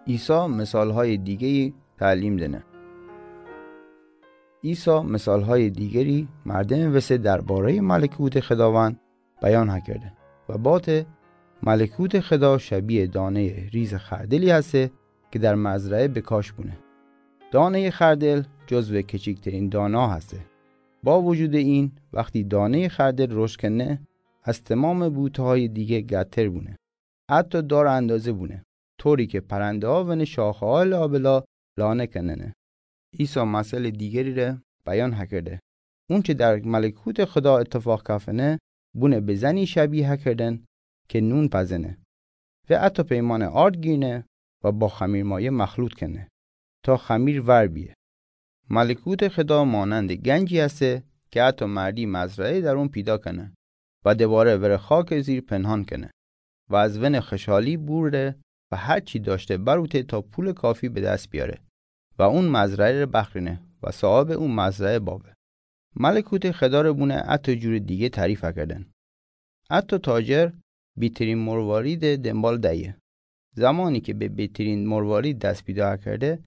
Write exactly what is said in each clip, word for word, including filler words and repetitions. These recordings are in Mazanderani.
عیسی مثال‌های دیگری تعلیم دنه. عیسی مثال‌های دیگری مردم وسه دربارهٔ ملکوت خداوند بیان کرده و باته ملکوت خدا شبیه دانهٔ ریز خردلی هسته که در مزرعه به کاشت بونه. دانهٔ خردل جزو کوچکترین دانه‌ها هسته. با وجود این، وقتی دانهٔ خردل رشد کنه، از تمام بوته‌های دیگه قدتر بونه. حتی دار اندازه بونه، طوری که پرنده‌ها ونه شاخه‌های لابلا لانه کننه. عیسی مثل دیگری ره بیان هکرده. اون چه در ملکوت خدا اتفاق کفنه، بونه به زنی شبیه هکردن که نون پزنه و حتی پیمانه آرد گیرنه و با خمیرمایه مخلوط کنه تا خمیر ور بیه. ملکوت خدا مانند گنجی هسته که حتی مردی مزرعه در اون پیدا کنه و دوباره وره خاک زیر پنهان کنه و از ون خوشحالی بوره و هر چی داشته بروته تا پول کافی به دست بیاره و اون مزرعه ره بخرینه و صاحب اون مزرعه بابه. ملکوت خدا ره بونه حتی جور دیگه تعریف کردن. حتی تاجر بیترین مروارید دنبال دهیه. زمانی که به بیترین مروارید دست پیدا کرده،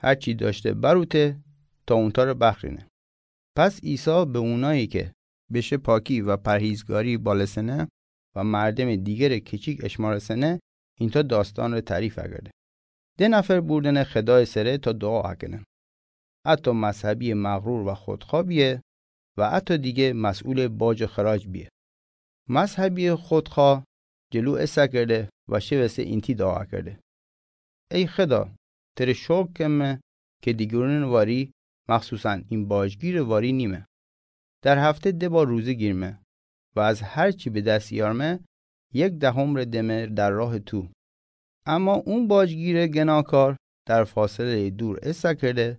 هر چی داشته بروته تا اونتا ره بخرینه. پس عیسی به اونایی که بشه پاکی و پرهیزگاری بالسنه و مردم دیگر کوچیک اشمارسنه، اینتا داستان ره تعریف کرده. ده نفر بوردنه خدای سره تا دعا کنن. حتی مذهبی مغرور و خودخواه بیه و حتی دیگه مسئول باج و خراج بیه. مذهبی خودخواه جلو اسه کرده و شوسته اینتی دعا کرده: ای خدا، تره شکر کمه که دیگرون واری، مخصوصاً این باجگیر واری نیمه. در هفته ده بار روزه گیرمه و از هر چی به دست یارمه، یک دهم ره دمه در راه تو. اما اون باجگیر گناهکار در فاصلهٔ دور اسه کرده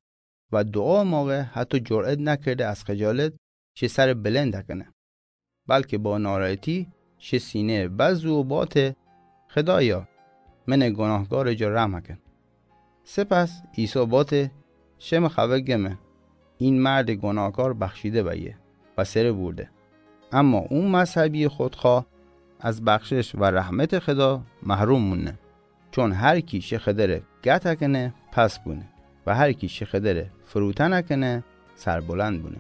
و دعا موقع حتی جرأت نکرده از خجالت شه سر بلند کنه، بلکه با ناراحتی شه سینه بزو و باته: خدایا، من گناهکار جا رحم کن. سپس عیسی باته: شم خبر گمه، این مرد گناهکار بخشیده بیه و سره بورده. اما اون مذهبی خودخواه از بخشش و رحمت خدا محروم مونه. چون هر کی شه خدره گت کنه، پس بونه و هر کی شه خدره فروتن کنه، سربلند بونه.